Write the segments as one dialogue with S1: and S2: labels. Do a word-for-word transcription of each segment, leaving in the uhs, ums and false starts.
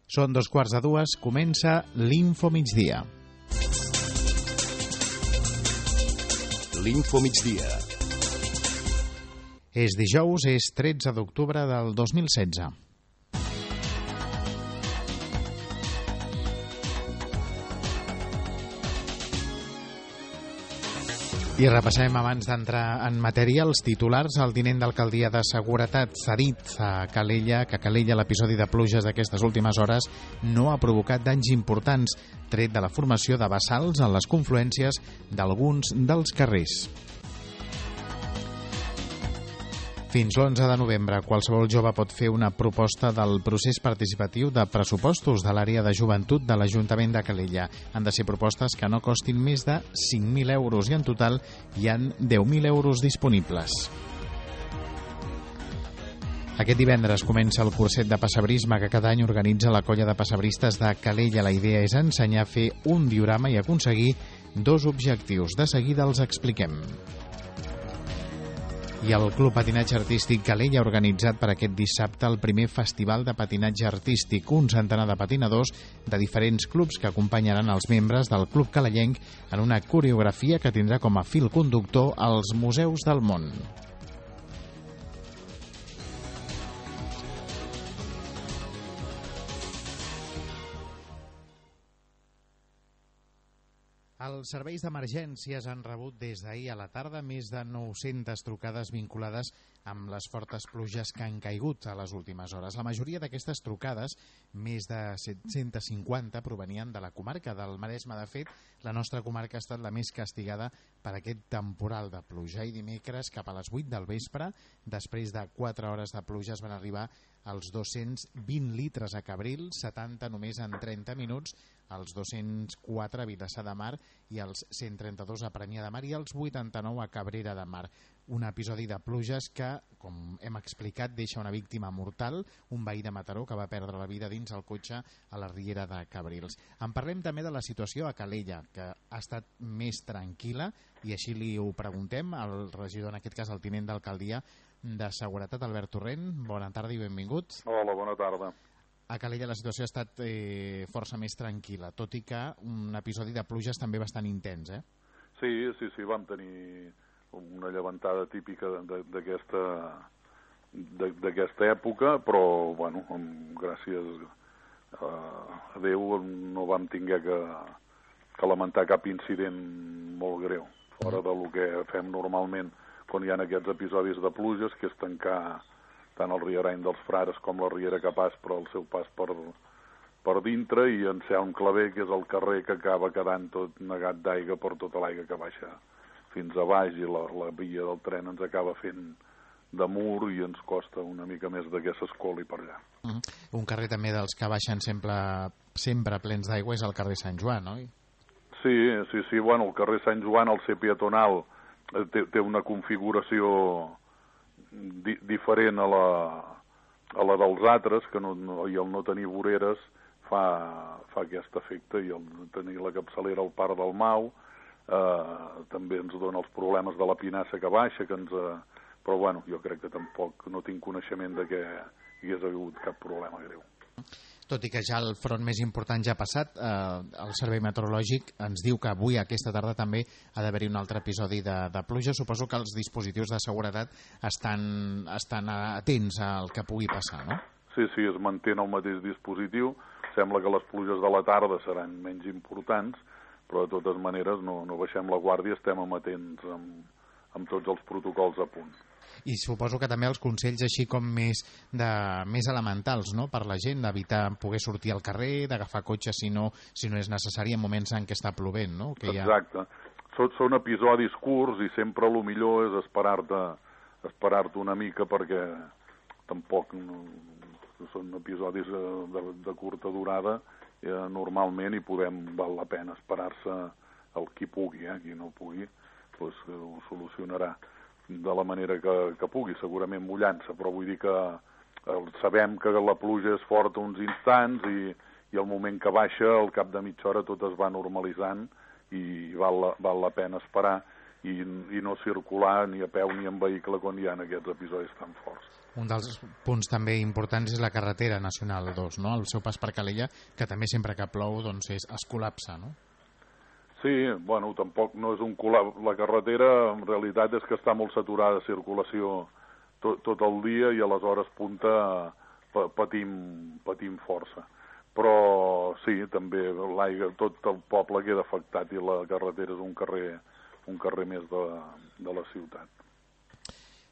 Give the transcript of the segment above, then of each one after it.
S1: Són dos quarts de dues, comença l'Info Migdia.
S2: L'Info Migdia.
S1: És dijous, és tretze d'octubre del dos mil setze. I repassem, abans d'entrar en matèria, els titulars. El tinent d'alcaldia de Seguretat s'ha dit a Calella que a Calella l'episodi de pluges d'aquestes últimes hores no ha provocat danys importants, tret de la formació de bassals en les confluències d'alguns dels carrers. Fins l'onze de novembre, qualsevol jove pot fer una proposta del procés participatiu de pressupostos de l'àrea de joventut de l'Ajuntament de Calella. Han de ser propostes que no costin més de cinc mil euros i en total hi han deu mil euros disponibles. Aquest divendres comença el curset de pessebrisme que cada any organitza la colla de pessebristes de Calella. La idea és ensenyar a fer un diorama i aconseguir dos objectius. De seguida els expliquem. I el Club Patinatge Artístic Calella ha organitzat per aquest dissabte el primer festival de patinatge artístic. Un centenar de patinadors de diferents clubs que acompanyaran els membres del Club Calellenc en una coreografia que tindrà com a fil conductor els museus del món. Els serveis d'emergències han rebut des d'ahir a la tarda més de nou-centes trucades vinculades amb les fortes pluges que han caigut a les últimes hores. La majoria d'aquestes trucades, més de set-centes cinquanta, provenien de la comarca del Maresme. De fet, la nostra comarca ha estat la més castigada per aquest temporal de pluja. I dimecres, cap a les vuit del vespre, després de quatre hores de pluja, es van arribar als dos-cents vint litres a Cabrils, setanta només en trenta minuts, als dos-cents quatre a Vilassar de Mar i als cent trenta-dos a Premià de Mar i als vuitanta-nou a Cabrera de Mar. Un episodi de pluges que, com hem explicat, deixa una víctima mortal, un veí de Mataró que va perdre la vida dins el cotxe a la riera de Cabrils. En parlem també de la situació a Calella, que ha estat més tranquil·la, i així li ho preguntem al regidor, en aquest cas el tinent d'alcaldia de Seguretat, Albert Torrent. Bona tarda i benvingut.
S3: Hola, bona tarda.
S1: A Calella la situació ha estat eh, força més tranquil·la, tot i que un episodi de pluges també bastant intens, eh?
S3: Sí, sí, sí, vam tenir una llevantada típica d'aquesta d'aquesta època, però, bueno, gràcies a Déu no vam tinguer que, que lamentar cap incident molt greu, fora del que fem normalment quan hi ha aquests episodis de pluges, que és tancar tant el Rierany dels Frares com la Riera Capaç per al seu pas per, per dintre, i en Celm Claver, que és el carrer que acaba quedant tot negat d'aigua per tota l'aigua que baixa fins a baix, i la, la via del tren ens acaba fent de mur i ens costa una mica més de que s'escoli per allà.
S1: Uh -huh. Un carrer també dels que baixen sempre, sempre plens d'aigua és el carrer Sant Joan, oi?
S3: Sí, sí, sí, bueno, el carrer Sant Joan, el ser peatonal, té, té una configuració Di diferent a la, a la dels altres, que no, no, i el no tenir voreres fa, fa aquest efecte, i el tenir la capçalera al Parc del Mau eh, també ens dona els problemes de la pinassa que baixa, que ens, eh, però bueno, jo crec que tampoc no tinc coneixement de que hi hagués hagut cap problema greu.
S1: Tot i que ja el front més important ja ha passat, eh, el Servei Meteorològic ens diu que avui, aquesta tarda, també ha d'haver-hi un altre episodi de, de pluja. Suposo que els dispositius de seguretat estan, estan atents al que pugui passar, no?
S3: Sí, sí, es manté el mateix dispositiu. Sembla que les pluges de la tarda seran menys importants, però de totes maneres no, no baixem la guàrdia, estem amatents amb, amb tots els protocols a punt.
S1: I suposo que també els consells així com més, de, més elementals, no?, per la gent, d'evitar poder sortir al carrer, d'agafar cotxe si no, si no és necessari en moments en què està plovent, no? Que
S3: Exacte. Ha... Són, són episodis curts i sempre el millor és esperar-te esperar-te una mica, perquè tampoc no, són episodis de, de curta durada eh, normalment, i podem, val la pena esperar-se el qui pugui, eh? Qui no pugui doncs ho solucionarà de la manera que, que pugui, segurament mullant-se, però vull dir que eh, sabem que la pluja és forta uns instants i, i el moment que baixa, al cap de mitja hora tot es va normalitzant i val la, val la pena esperar i, i no circular ni a peu ni en vehicle quan hi ha aquests episodis tan forts.
S1: Un dels punts també importants és la carretera nacional dos, no? El seu pas per Calella, que també sempre que plou doncs és, es col·lapsa, no?
S3: Sí, bueno, tampoc no és un col·lapse. La carretera en realitat és que està molt saturada de circulació tot, tot el dia i a les hores punta patim, patim força. Però sí, també l'aigua, tot el poble queda afectat i la carretera és un carrer, un carrer més de, de la ciutat.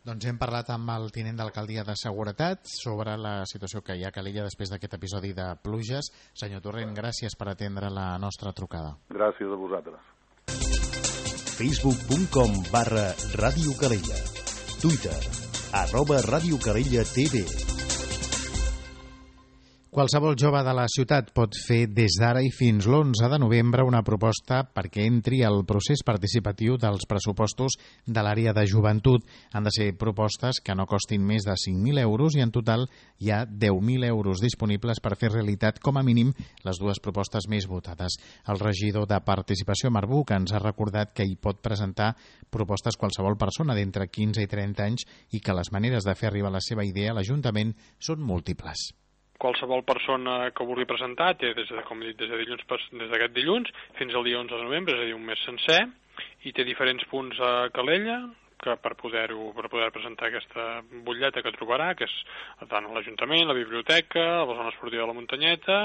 S1: Doncs hem parlat amb el tinent d'alcaldia de Seguretat sobre la situació que hi ha a Calella després d'aquest episodi de pluges. Senyor Torrent, gràcies per atendre la nostra trucada.
S3: Gràcies a vosaltres.
S2: facebook punt com barra Ràdio Calella. Twitter, arroba Ràdio Calella T V.
S1: Qualsevol jove de la ciutat pot fer des d'ara i fins l'onze de novembre una proposta perquè entri al procés participatiu dels pressupostos de l'àrea de joventut. Han de ser propostes que no costin més de cinc mil euros i en total hi ha deu mil euros disponibles per fer realitat com a mínim les dues propostes més votades. El regidor de Participació, Marc Buch, ens ha recordat que hi pot presentar propostes qualsevol persona d'entre quinze i trenta anys i que les maneres de fer arribar la seva idea a l'Ajuntament són múltiples.
S4: Qualsevol persona que vulgui presentar té, des de, com he dit, des de dilluns, des d'aquest dilluns fins al dia onze de novembre, és a dir, un mes sencer, i té diferents punts a Calella que per poder-ho per poder presentar aquesta butlleta que trobarà, que és tant a l'Ajuntament, la biblioteca, a la zona esportiva de la Muntanyeta,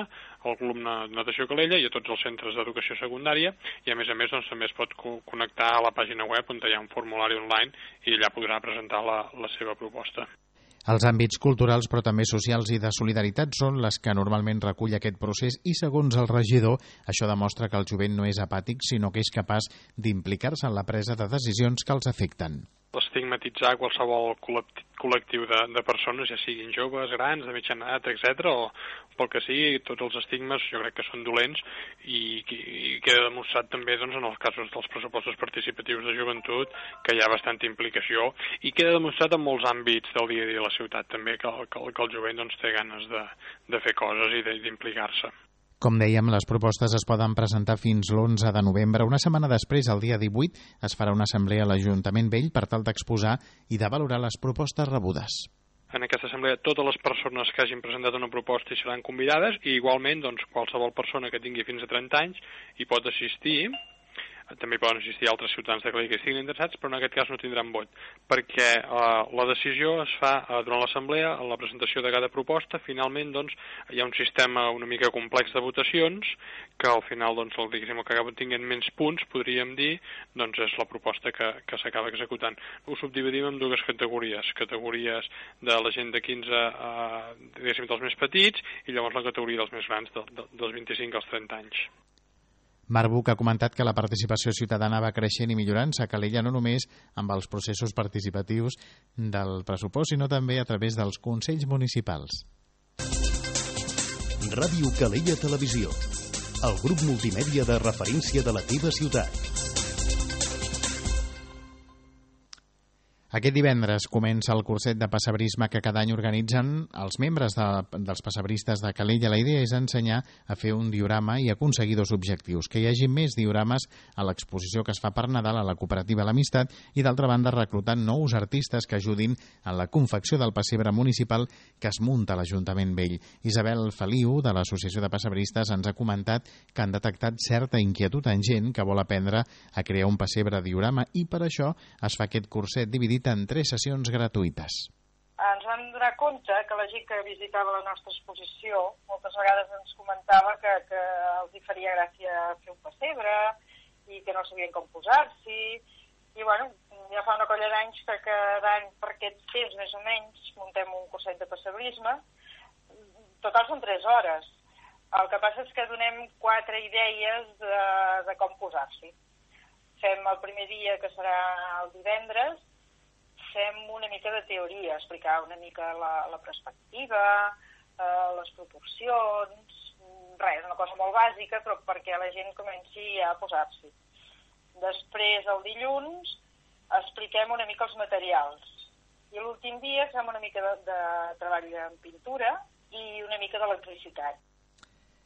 S4: al Club de Natació Calella i a tots els centres d'educació secundària, i a més a més doncs, també es pot co connectar a la pàgina web on hi ha un formulari online i allà podrà presentar la, la seva proposta.
S1: Els àmbits culturals, però també socials i de solidaritat són les que normalment recull aquest procés i, segons el regidor, això demostra que el jovent no és apàtic, sinó que és capaç d'implicar-se en la presa de decisions que els afecten.
S4: Estigmatitzar qualsevol col·lectiu de, de persones, ja siguin joves, grans, de mitjana edat, etcètera, o pel que sigui, tots els estigmes jo crec que són dolents i, i queda demostrat també doncs, en els casos dels pressupostos participatius de joventut que hi ha bastanta implicació i queda demostrat en molts àmbits del dia a dia de la ciutat també que, que, que el jovent doncs, té ganes de, de fer coses i d'implicar-se.
S1: Com dèiem, les propostes es poden presentar fins l'onze de novembre. Una setmana després, el dia divuit, es farà una assemblea a l'Ajuntament Vell per tal d'exposar i de valorar les propostes rebudes.
S4: En aquesta assemblea totes les persones que hagin presentat una proposta hi seran convidades i igualment doncs, qualsevol persona que tingui fins a trenta anys hi pot assistir. També poden assistir altres ciutadans de Calella que estiguin interessats, però en aquest cas no tindran vot, perquè eh, la decisió es fa eh, durant l'assemblea, en la presentació de cada proposta. Finalment doncs, hi ha un sistema una mica complex de votacions, que al final doncs, el, diguéssim, el que acaba tinguent menys punts, podríem dir, doncs és la proposta que, que s'acaba executant. Ho subdividim en dues categories, categories de la gent de quinze a, diguéssim, dels més petits, i llavors la categoria dels més grans, de, de, dels vint-i-cinc als trenta anys.
S1: Marc Buch ha comentat que la participació ciutadana va creixent i millorant-se a Calella no només amb els processos participatius del pressupost, sinó també a través dels consells municipals.
S2: Ràdio Calella Televisió, el grup multimèdia de referència de la teva ciutat.
S1: Aquest divendres comença el curset de pessebrisme que cada any organitzen els membres de, dels pessebristes de Calella. La idea és ensenyar a fer un diorama i aconseguir dos objectius, que hi hagi més diorames a l'exposició que es fa per Nadal a la cooperativa L'Amistat i, d'altra banda, reclutar nous artistes que ajudin en la confecció del pessebre municipal que es munta a l'Ajuntament Vell. Isabel Feliu, de l'Associació de Pessebristes, ens ha comentat que han detectat certa inquietud en gent que vol aprendre a crear un pessebre diorama i per això es fa aquest curset dividit en tres sessions gratuïtes.
S5: Ens vam donar compte que la gent que visitava la nostra exposició moltes vegades ens comentava que, que els hi faria gràcia fer un pessebre i que no sabien com posar-s'hi. I bueno, ja fa una colla d'anys que cada any per aquest temps més o menys muntem un curset de pessebrisme. Total són tres hores. El que passa és que donem quatre idees de, de com posar-s'hi. Fem el primer dia, que serà el divendres, fem una mica de teoria, explicar una mica la, la perspectiva, eh, les proporcions, res, una cosa molt bàsica, però perquè la gent comenci a posar-s'hi. Després, el dilluns, expliquem una mica els materials. I l'últim dia fem una mica de, de treball en pintura i una mica d'electricitat.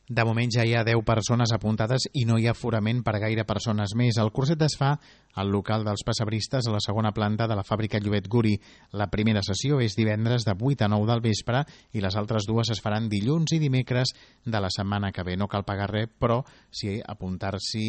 S1: De moment ja hi ha deu persones apuntades i no hi ha aforament per gaire persones més. El curset es fa al local dels pessebristes a la segona planta de la fàbrica Llobet Guri. La primera sessió és divendres de vuit a nou del vespre i les altres dues es faran dilluns i dimecres de la setmana que ve. No cal pagar res, però si apuntar-s'hi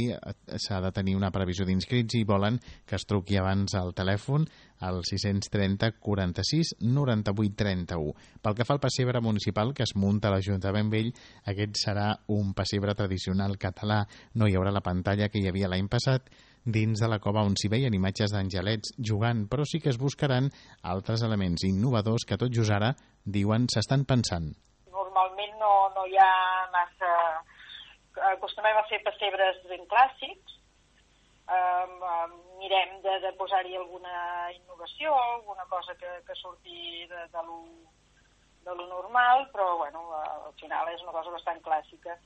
S1: s'ha de tenir una previsió d'inscrits i volen que es truqui abans al telèfon al sis cents trenta quaranta-sis noranta-vuit trenta-u. Pel que fa al pessebre municipal que es munta a l'Ajuntament Vell, aquest serà un pessebre tradicional català. No hi haurà la pantalla que hi havia l'any passat dins de la cova on s'hi veien imatges d'angelets jugant, però sí que es buscaran altres elements innovadors que tot just ara diuen s'estan pensant.
S5: Normalment no, no hi ha massa... Acostumem a fer pessebres ben clàssics. Um, um, mirem de, de posar-hi alguna innovació, alguna cosa que, que surti de, de, lo, de lo normal, però bueno, al final és una cosa bastant clàssica.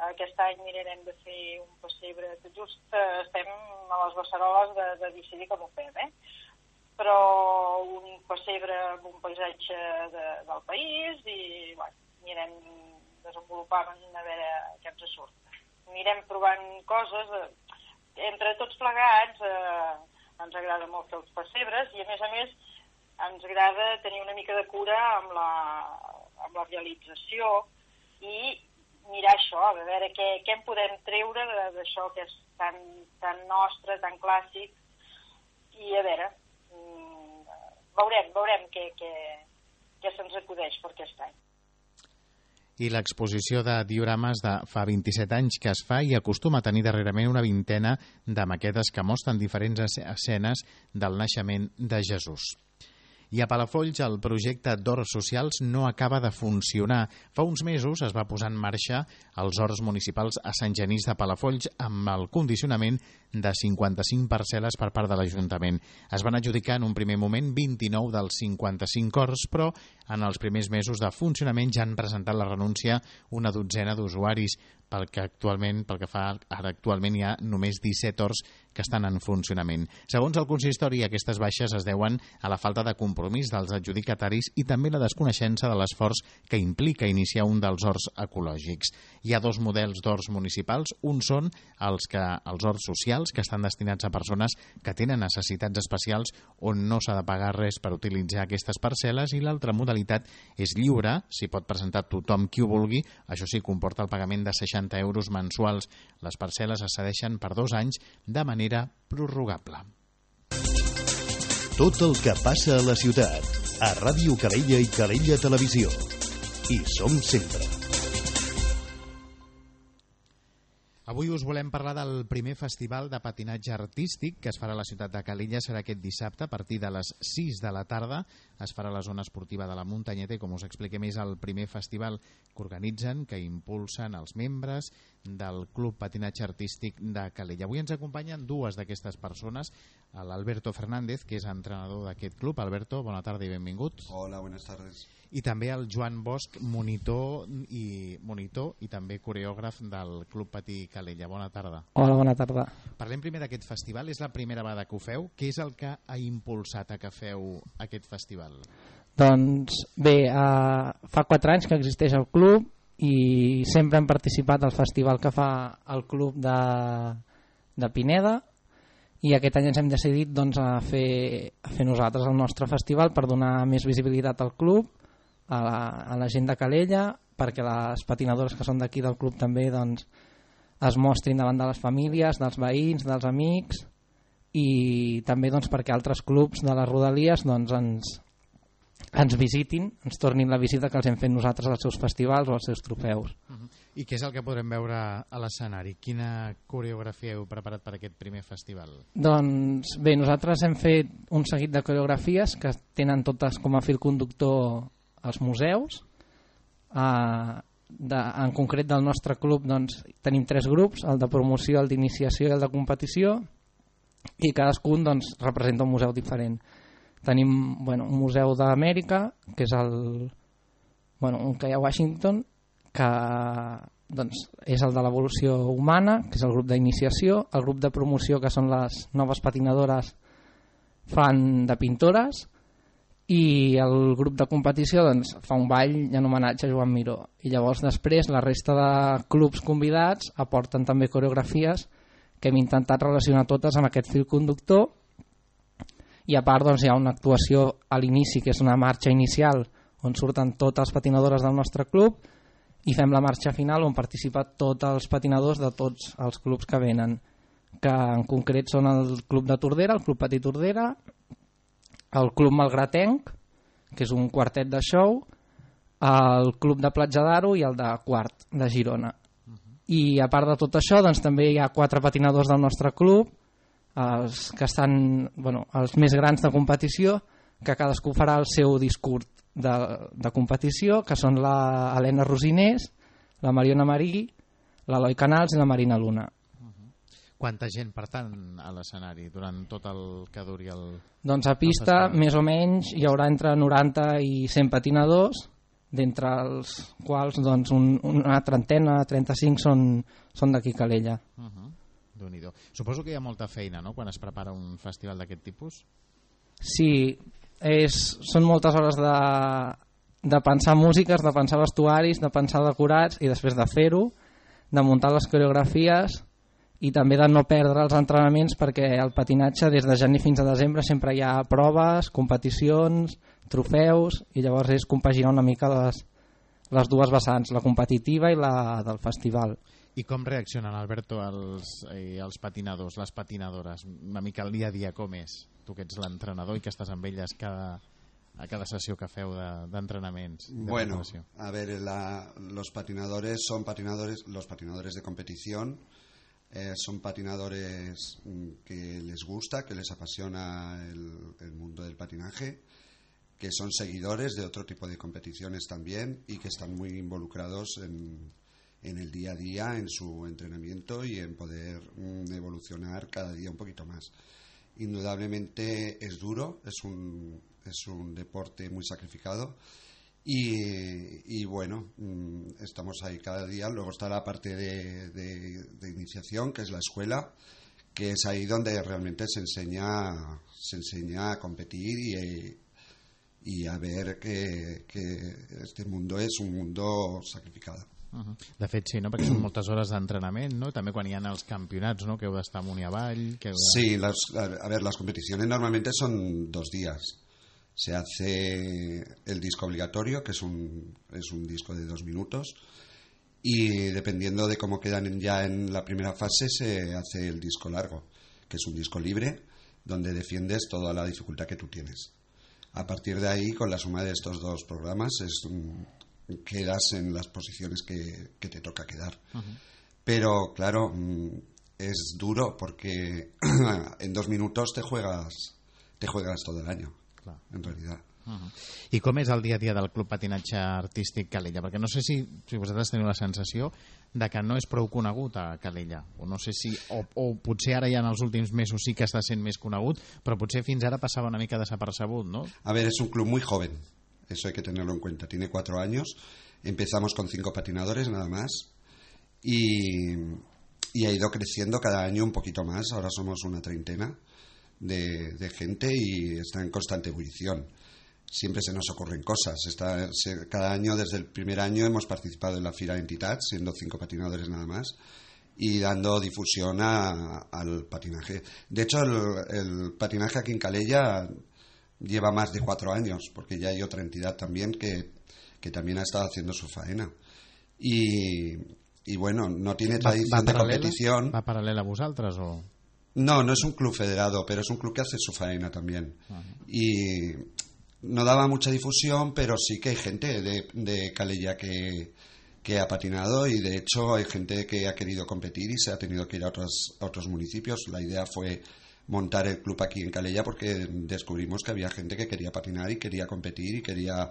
S5: Aquest any mirarem de fer un pessebre, just uh, estem a les beceroles de, de decidir com ho fem, eh? Però un pessebre amb un paisatge de, del país i bueno, mirem desenvolupant a veure què ens surt. Mirem provant coses... Eh, Entre tots plegats eh, ens agrada molt fer els pessebres i a més a més ens agrada tenir una mica de cura amb la, amb la realització i mirar això, a veure què, què en podem treure d'això que és tan, tan nostre, tan clàssic i a veure, mm, veurem, veurem què, què, què se'ns acudeix per aquest any.
S1: I l'exposició de diorames de fa vint-i-set anys que es fa i acostuma a tenir darrerament una vintena de maquetes que mostren diferents escenes del naixement de Jesús. I a Palafolls el projecte d'horts socials no acaba de funcionar. Fa uns mesos es va posar en marxa els horts municipals a Sant Genís de Palafolls amb el condicionament de cinquanta-cinc parcel·les per part de l'Ajuntament. Es van adjudicar en un primer moment vint-i-nou dels cinquanta-cinc horts, però en els primers mesos de funcionament ja han presentat la renúncia una dotzena d'usuaris, pel que actualment, pel que fa ara actualment hi ha només disset horts que estan en funcionament. Segons el consistori, aquestes baixes es deuen a la falta de compromís dels adjudicataris i també la desconeixença de l'esforç que implica iniciar un dels horts ecològics. Hi ha dos models d'horts municipals. Un són els, que, els horts socials, que estan destinats a persones que tenen necessitats especials on no s'ha de pagar res per utilitzar aquestes parcel·les, i l'altra modalitat és lliure, s'hi pot presentar tothom qui ho vulgui, això sí, comporta el pagament de seixanta euros mensuals. Les parcel·les es cedeixen per dos anys de manera prorrogable.
S2: Tot el que passa a la ciutat, a Ràdio Calella i Calella Televisió. Hi som sempre.
S1: Avui us volem parlar del primer festival de patinatge artístic que es farà a la ciutat de Calella. Serà aquest dissabte a partir de les sis de la tarda. Es farà a la zona esportiva de la Muntanyeta i, com us expliquem, és el primer festival que organitzen, que impulsen els membres del Club Patinatge Artístic de Calella. Avui ens acompanyen dues d'aquestes persones, l'Alberto Fernández, que és entrenador d'aquest club. Alberto, bona tarda i benvingut.
S6: Hola, buenas tardes.
S1: I també el Joan Bosch, monitor i monitor i també coreògraf del Club Patí Calella. Bona tarda.
S7: Hola, bona tarda.
S1: Parlem primer d'aquest festival. És la primera vegada que ho feu. Què és el que ha impulsat a que feu aquest festival?
S7: Doncs bé, eh, fa quatre anys que existeix el club i sempre hem participat al festival que fa el club de, de Pineda, i aquest any ens hem decidit doncs, a, fer, a fer nosaltres el nostre festival per donar més visibilitat al club, a la, a la gent de Calella, perquè les patinadores que són d'aquí del club també doncs, es mostrin davant de les famílies, dels veïns, dels amics, i també doncs, perquè altres clubs de les rodalies doncs, ens, ens visitin, ens tornin la visita que els hem fet nosaltres als seus festivals o als seus trofeus.
S1: Uh-huh. I què és el que podrem veure a l'escenari? Quina coreografia heu preparat per aquest primer festival?
S7: Doncs bé, nosaltres hem fet un seguit de coreografies que tenen totes com a fil conductor als museus. Uh, de, en concret del nostre club doncs, tenim tres grups, el de promoció, el d'iniciació i el de competició, i cadascun doncs, representa un museu diferent. Tenim bueno, un museu d'Amèrica, que és el, bueno, un que hi ha a Washington, que doncs, és el de l'evolució humana, que és el grup d'iniciació, el grup de promoció, que són les noves patinadores fan de pintores, i el grup de competició doncs, fa un ball en homenatge a Joan Miró, i llavors després la resta de clubs convidats aporten també coreografies que hem intentat relacionar totes amb aquest fil conductor, i a part doncs, hi ha una actuació a l'inici que és una marxa inicial on surten totes les patinadores del nostre club, i fem la marxa final on participen tots els patinadors de tots els clubs que venen, que en concret són el Club de Tordera, el Club Petit Tordera, el Club Malgratenc, que és un quartet de show, el Club de Platja d'Aro i el de Quart, de Girona. I a part de tot això, doncs, també hi ha quatre patinadors del nostre club, els que estan, bueno, els més grans de competició, que cadascú farà el seu discurs de, de competició, que són la Helena Rosinés, la Mariona Marí, l'Eloi Canals i la Marina Luna.
S1: Quanta gent, per tant, a l'escenari durant tot el que duri el...
S7: Doncs a pista, més o menys, hi haurà entre noranta i cent patinadors, d'entre els quals doncs, un, una trentena, trenta-cinc són, són d'aquí Calella.
S1: Uh-huh. Déu-n'hi-do. Suposo que hi ha molta feina, no?, quan es prepara un festival d'aquest tipus?
S7: Sí, és, són moltes hores de, de pensar músiques, de pensar vestuaris, de pensar decorats i després de fer-ho, de muntar les coreografies i també de no perdre els entrenaments, perquè el patinatge des de gener fins a desembre sempre hi ha proves, competicions, trofeus, i llavors és compaginar una mica les, les dues vessants, la competitiva i la del festival.
S1: I com reaccionen, Alberto, els, eh, els patinadors, les patinadores? Una mica el dia a dia com és? Tu que ets l'entrenador i que estás amb elles cada, a cada sessió que feu d'entrenamientos. De, de
S6: bueno, a ver, la, los patinadores son patinadores, los patinadores de competición, eh, son patinadores que les gusta, que les apasiona el, el mundo del patinaje, que son seguidores de otro tipo de competiciones también y que están muy involucrados en, en el día a día, en su entrenamiento y en poder mm, evolucionar cada día un poquito más. Indudablemente es duro, es un, es un deporte muy sacrificado y, y bueno, mm, estamos ahí cada día. Luego está la parte de, de, de iniciación, que es la escuela, que es ahí donde realmente se enseña, se enseña a competir y, y a ver que, que este mundo es un mundo sacrificado.
S1: Uh-huh. De fet, sí, no? Perquè són moltes hores d'entrenament, no? També quan hi ha els campionats, no? Que heu d'estar amunt i avall... Que heu de...
S6: Sí, las, a ver, las competiciones normalmente son dos días. Se hace el disco obligatorio, que es un, es un disco de dos minutos, y dependiendo de cómo quedan ya en la primera fase, se hace el disco largo, que es un disco libre, donde defiendes toda la dificultad que tú tienes. A partir de ahí, con la suma de estos dos programas, es... quedas en las posiciones que, que te toca quedar. Uh-huh. Pero claro, es duro porque en dos minutos te juegas te juegas todo el año. Clar. En realidad.
S1: Uh-huh. I com és el dia a dia del Club Patinatge Artístic Calella? Perquè no sé si, si vosaltres teniu la sensació de que no és prou conegut a Calella, o no sé si o, o potser ara ja en els últims mesos sí que està sent més conegut, però potser fins ara passava una mica desapercebut, no?
S6: A ver, es un club muy joven. Eso hay que tenerlo en cuenta. Tiene cuatro años. Empezamos con cinco patinadores nada más. Y, y ha ido creciendo cada año un poquito más. Ahora somos una treintena de, de gente y está en constante ebullición. Siempre se nos ocurren cosas. Está, se, cada año, desde el primer año, hemos participado en la Fira Entitats, siendo cinco patinadores nada más, y dando difusión a, al patinaje. De hecho, el, el patinaje aquí en Calella lleva más de cuatro años, porque ya hay otra entidad también que, que también ha estado haciendo su faena. Y, y bueno, no tiene tradición
S1: va, va
S6: de competición.
S1: ¿Va paralela a vosaltres o...?
S6: No, no es un club federado, pero es un club que hace su faena también. Uh-huh. Y no daba mucha difusión, pero sí que hay gente de, de Calella que, que ha patinado y de hecho hay gente que ha querido competir y se ha tenido que ir a otros, a otros municipios. La idea fue montar el club aquí en Calella porque descubrimos que había gente que quería patinar y quería competir y quería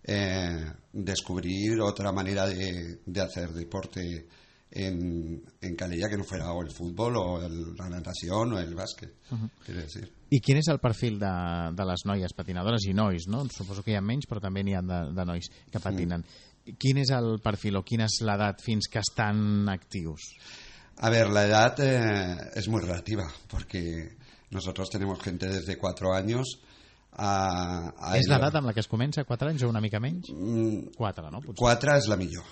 S6: eh, descubrir otra manera de, de hacer deporte en, en Calella que no fuera o el fútbol o el, la natación o el bàsquet. Uh-huh. Quiero decir.
S1: I quin és el perfil de, de les noies patinadores i nois, no? Suposo que hi ha menys, però també n'hi ha de, de nois que patinen. Mm. Quin és el perfil o quina és l'edat fins que estan actius?
S6: A ver, la edad eh, es muy relativa, porque nosotros tenemos gente desde cuatro años a, a
S1: és
S6: ell.
S1: l'edat amb la que es comença, quatre anys o una mica menys?
S6: Mm,
S1: quatre, ¿no? Potser.
S6: Cuatro es la millor.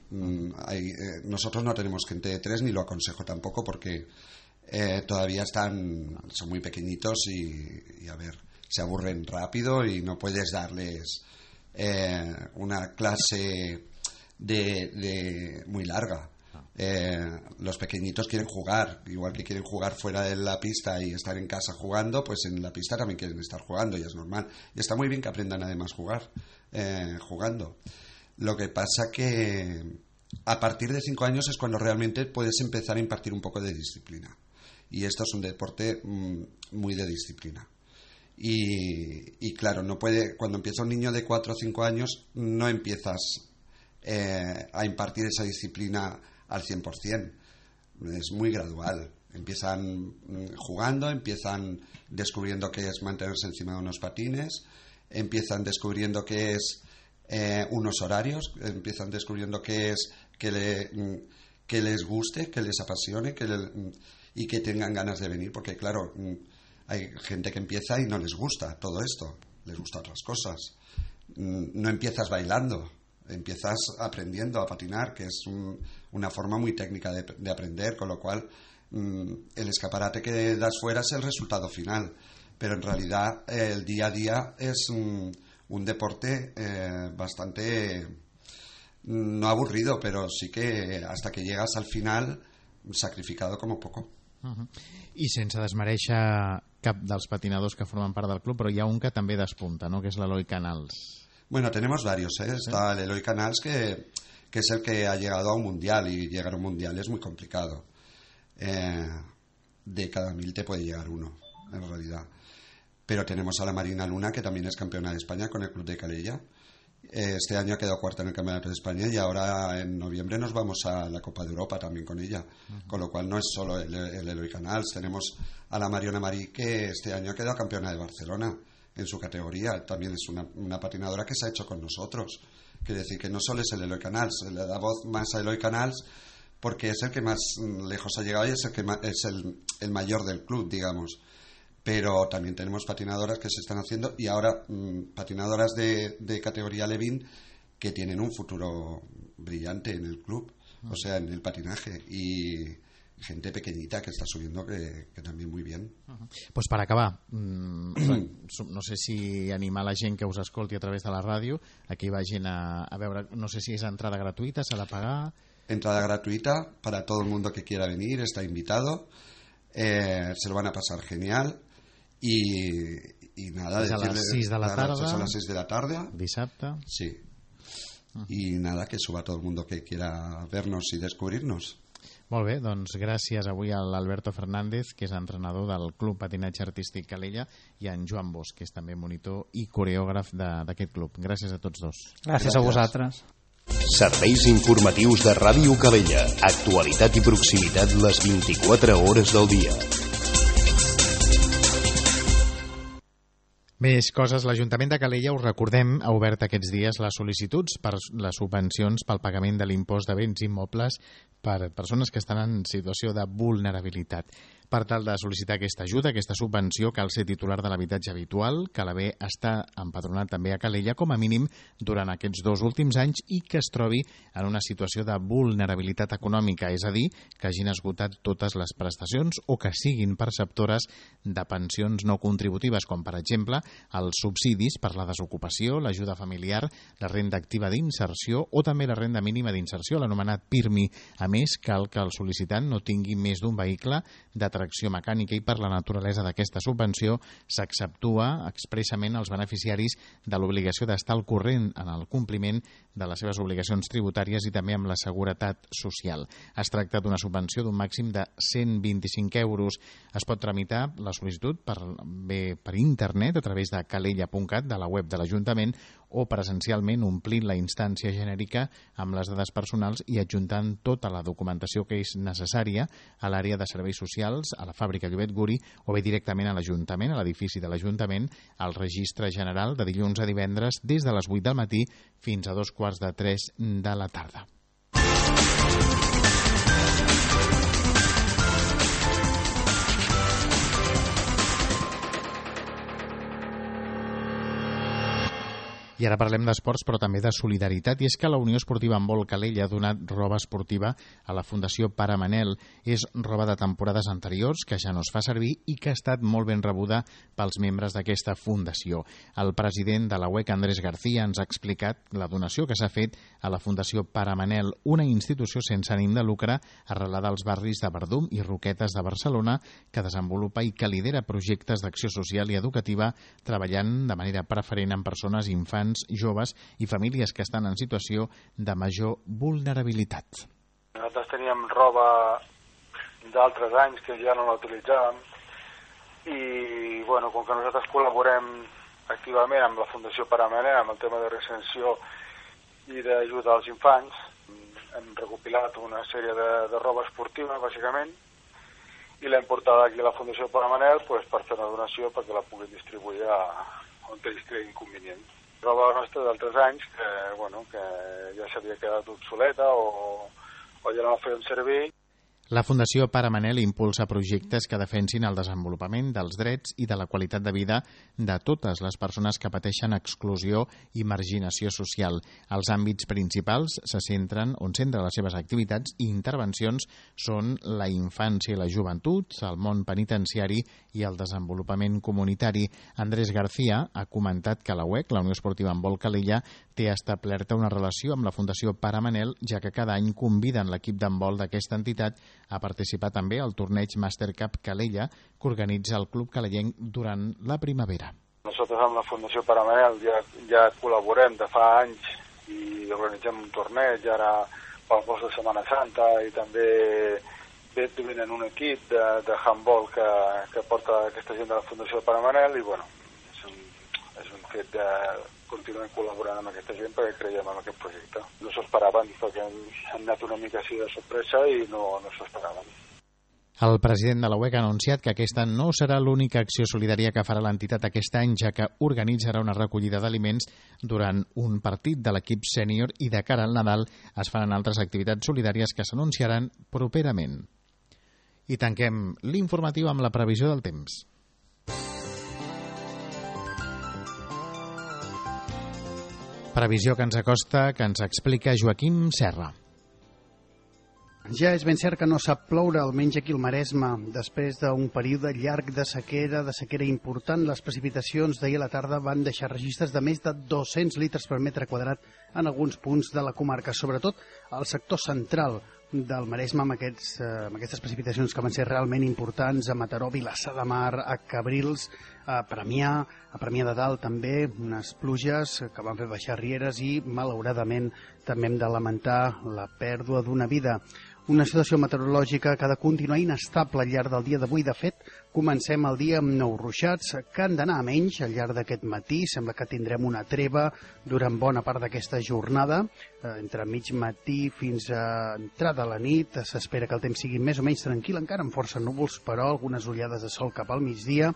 S6: Mm, hay, eh, nosotros no tenemos gente de tres, ni lo aconsejo tampoco, porque eh, todavía están, son muy pequeñitos y, y a ver, se aburren rápido y no puedes darles eh, una clase de, de muy larga. Eh, los pequeñitos quieren jugar, igual que quieren jugar fuera de la pista y estar en casa jugando, pues en la pista también quieren estar jugando y es normal. Y está muy bien que aprendan además jugar, eh, jugando. Lo que pasa que a partir de cinco años es cuando realmente puedes empezar a impartir un poco de disciplina. Y esto es un deporte mmm, muy de disciplina. Y, y claro, no puede, cuando empieza un niño de cuatro o cinco años, no empiezas eh, a impartir esa disciplina al cien por ciento. Es muy gradual. Empiezan jugando, empiezan descubriendo qué es mantenerse encima de unos patines, empiezan descubriendo qué es eh, unos horarios, empiezan descubriendo qué es que, le, que les guste, que les apasione, que le, y que tengan ganas de venir, porque claro, hay gente que empieza y no les gusta todo esto, les gustan otras cosas. No empiezas bailando, empiezas aprendiendo a patinar, que es un, una forma muy técnica de, de aprender, con lo cual mmm, el escaparate que das fuera es el resultado final, pero en realidad eh, el día a día es un, un deporte eh, bastante no aburrido, pero sí que hasta que llegas al final sacrificado como poco.
S1: Uh-huh. I sense desmereixer cap dels patinadors que formen part del club, però hi ha un que també despunta, ¿no? Que es l'Eloi Canals.
S6: Bueno, tenemos varios, ¿eh? Está el Eloi Canals, que, que es el que ha llegado a un mundial, y llegar a un mundial es muy complicado. Eh, de cada mil te puede llegar uno, en realidad. Pero tenemos a la Marina Luna, que también es campeona de España con el club de Calella. Eh, este año ha quedado cuarta en el Campeonato de España y ahora en noviembre nos vamos a la Copa de Europa también con ella. Uh-huh. Con lo cual no es solo el, el Eloi Canals. Tenemos a la Mariona Marí, que este año ha quedado campeona de Barcelona en su categoría. También es una, una patinadora que se ha hecho con nosotros. Quiere decir que no solo es el Eloi Canals, le da voz más a Eloi Canals porque es el que más lejos ha llegado y es el que más, es el, el mayor del club, digamos. Pero también tenemos patinadoras que se están haciendo y ahora mmm, patinadoras de, de categoría Levin que tienen un futuro brillante en el club, uh-huh. O sea, en el patinaje, y gente pequeñita que está subiendo que, que también muy bien.
S1: Uh-huh. Pues per acabar, mmm, no sé si animar la gent que us escolti a través de la ràdio a que hi vagin a, a veure, no sé si és entrada gratuïta, s'ha de pagar...
S6: Entrada gratuita para todo el mundo que quiera venir, está invitado, eh, se lo van a pasar genial. Y, y nada,
S1: es a las seis de la tarde.
S6: Es a las seis de la tarde.
S1: Dissabte.
S6: Sí. Uh-huh. Y nada, que suba todo el mundo que quiera vernos y descubrirnos.
S1: Molt bé, doncs gràcies avui a l'Alberto Fernández, que és entrenador del Club Patinatge Artístic Calella, i a en Joan Bosch, que és també monitor i coreògraf d'aquest club. Gràcies a tots dos.
S7: Gràcies, gràcies. A vosaltres.
S2: Serveis informatius de Ràdio Calella. Actualitat i proximitat les vint-i-quatre hores del dia.
S1: Més coses. L'Ajuntament de Calella, us recordem, ha obert aquests dies les sol·licituds per les subvencions pel pagament de l'impost de béns immobles per persones que estan en situació de vulnerabilitat. Per tal de sol·licitar aquesta ajuda, aquesta subvenció, cal ser titular de l'habitatge habitual, cal haver estat empadronat també a Calella com a mínim durant aquests dos últims anys i que es trobi en una situació de vulnerabilitat econòmica, és a dir, que hagin esgotat totes les prestacions o que siguin perceptores de pensions no contributives, com per exemple els subsidis per la desocupació, l'ajuda familiar, la renda activa d'inserció o també la renda mínima d'inserció, l'anomenat PIRMI. A més, cal que el sol·licitant no tingui més d'un vehicle de tracció mecànica i per la naturalesa d'aquesta subvenció s'exceptua expressament als beneficiaris de l'obligació d'estar al corrent en el compliment de les seves obligacions tributàries i també amb la seguretat social. Es tracta d'una subvenció d'un màxim de cent vint-i-cinc euros. Es pot tramitar la sol·licitud per, bé, per internet a través de calella punt cat, de la web de l'Ajuntament, o presencialment omplint la instància genèrica amb les dades personals i adjuntant tota la documentació que és necessària a l'àrea de serveis socials, a la fàbrica Llobet Guri, o bé directament a l'Ajuntament, a l'edifici de l'Ajuntament, al registre general de dilluns a divendres des de les vuit del matí fins a dos quarts de tres de la tarda. I ara parlem d'esports, però també de solidaritat, i és que la Unió Esportiva Handbol Calella ha donat roba esportiva a la Fundació Pare Manel. És roba de temporades anteriors, que ja no es fa servir i que ha estat molt ben rebuda pels membres d'aquesta fundació. El president de la U E C, Andrés García, ens ha explicat la donació que s'ha fet a la Fundació Pare Manel, una institució sense ànim de lucre arrelada als barris de Verdum i Roquetes de Barcelona, que desenvolupa i que lidera projectes d'acció social i educativa, treballant de manera preferent amb persones, infants, joves i famílies que estan en situació de major vulnerabilitat.
S8: Nosaltres teníem roba d'altres anys que ja no la utilitzàvem i, bueno, com que nosaltres col·laborem activament amb la Fundació Pare Manel amb el tema de reinserció i d'ajuda als infants, hem recopilat una sèrie de, de roba esportiva, bàsicament, i l'hem portada aquí a la Fundació Pare Manel pues, per fer una donació perquè la puguin distribuir a, on ells creguin convenient. Roba nostra d'altres anys que, bueno, que ja s'havia quedat obsoleta o, o ja no la feien servir.
S1: La Fundació Pare Manel impulsa projectes que defensin el desenvolupament dels drets i de la qualitat de vida de totes les persones que pateixen exclusió i marginació social. Els àmbits principals se centren, on centren les seves activitats i intervencions són la infància i la joventut, el món penitenciari i el desenvolupament comunitari. Andrés García ha comentat que la U E C, la Unió Esportiva Handbol Calella, té establerta una relació amb la Fundació Pare Manel, ja que cada any conviden l'equip d'handbol d'aquesta entitat a participar també al torneig Master Cup Calella que organitza el Club Calellenc durant la primavera.
S8: Nosaltres amb la Fundació Pare Manel ja, ja col·laborem de fa anys i organitzem un torneig ara pel post de Setmana Santa i també venen un equip de, de handball que, que porta aquesta gent de la Fundació Pare Manel i bueno, és un, és un fet de continuem col·laborant amb aquesta gent perquè creiem en aquest projecte. No s'ho esperaven perquè han anat una mica així de sorpresa i no, no s'ho esperaven.
S1: El president de la U E C ha anunciat que aquesta no serà l'única acció solidària que farà l'entitat aquest any, ja que organitzarà una recollida d'aliments durant un partit de l'equip sènior i de cara al Nadal es faran altres activitats solidàries que s'anunciaran properament. I tanquem l'informatiu amb la previsió del temps. Previsió que ens acosta, que ens explica Joaquim Serra.
S9: Ja és ben cert que no sap ploure, almenys aquí al Maresme. Després d'un període llarg de sequera, de sequera important, les precipitacions d'ahir a la tarda van deixar registres de més de dos-cents litres per metre quadrat en alguns punts de la comarca, sobretot al sector central del Maresme, amb, aquests, eh, amb aquestes precipitacions que van ser realment importants a Mataró, Vilassar de Mar, a Cabrils, a Premià, a Premià de Dalt també, unes pluges que van fer baixar rieres i, malauradament, també hem de lamentar la pèrdua d'una vida. Una situació meteorològica que ha de continuar inestable al llarg del dia d'avui. De fet, comencem el dia amb nous ruixats que han d'anar a menys al llarg d'aquest matí. Sembla que tindrem una treva durant bona part d'aquesta jornada. Entre mig matí fins a entrada a la nit s'espera que el temps sigui més o menys tranquil, encara amb força núvols, però algunes ullades de sol cap al migdia.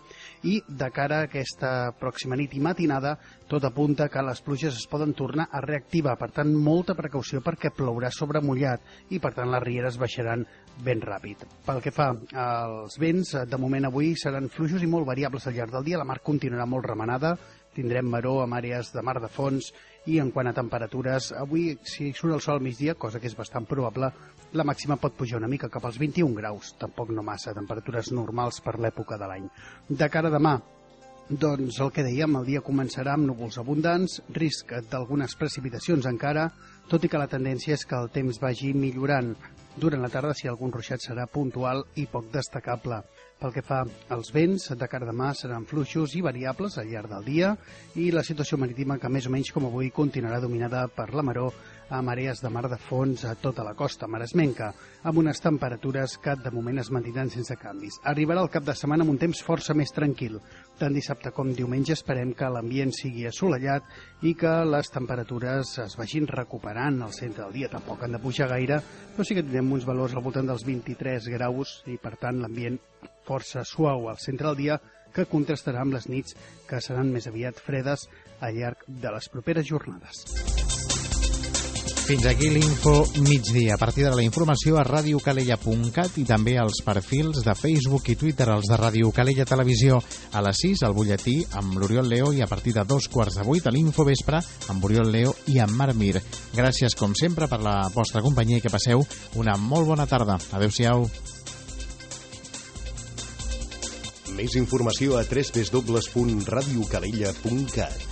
S9: I de cara a aquesta pròxima nit i matinada, tot apunta que les pluges es poden tornar a reactivar. Per tant, molta precaució perquè plourà sobre mullat i, per tant, les rieres baixaran ben ràpid. Pel que fa als vents, de moment avui seran fluixos i molt variables al llarg del dia. La mar continuarà molt remenada, tindrem maror amb àrees de mar de fons i en quant a temperatures, avui si surt el sol al migdia, cosa que és bastant probable, la màxima pot pujar una mica cap als vint-i-un graus, tampoc no massa, temperatures normals per l'època de l'any. De cara a demà, doncs el que dèiem, el dia començarà amb núvols abundants, risc d'algunes precipitacions encara, tot i que la tendència és que el temps vagi millorant. Durant la tarda, si algun ruixat serà puntual i poc destacable. Pel que fa als vents, de cara a demà seran fluixos i variables al llarg del dia i la situació marítima que més o menys com avui continuarà dominada per la maror amb àrees de mar de fons a tota la costa maresmenca, amb unes temperatures que de moment es mantindran sense canvis. Arribarà el cap de setmana amb un temps força més tranquil. Tant dissabte com diumenge esperem que l'ambient sigui assolellat i que les temperatures es vagin recuperant al centre del dia. Tampoc han de pujar gaire, però sí que tindrem uns valors al voltant dels vint-i-tres graus i, per tant, l'ambient força suau al centre del dia, que contrastarà amb les nits que seran més aviat fredes al llarg de les properes jornades.
S1: Fins aquí l'Info migdia. A partir de la informació a ràdio calella punt cat i també als perfils de Facebook i Twitter, els de Ràdio Calella Televisió. A les sis, el butlletí amb l'Oriol Leo, i a partir de dos quarts de vuit a l'Info Vespre amb Oriol Leo i amb Marc Mir. Gràcies, com sempre, per la vostra companyia i que passeu una molt bona tarda. Adéu-siau.
S2: Més informació a w w w punt ràdio calella punt cat.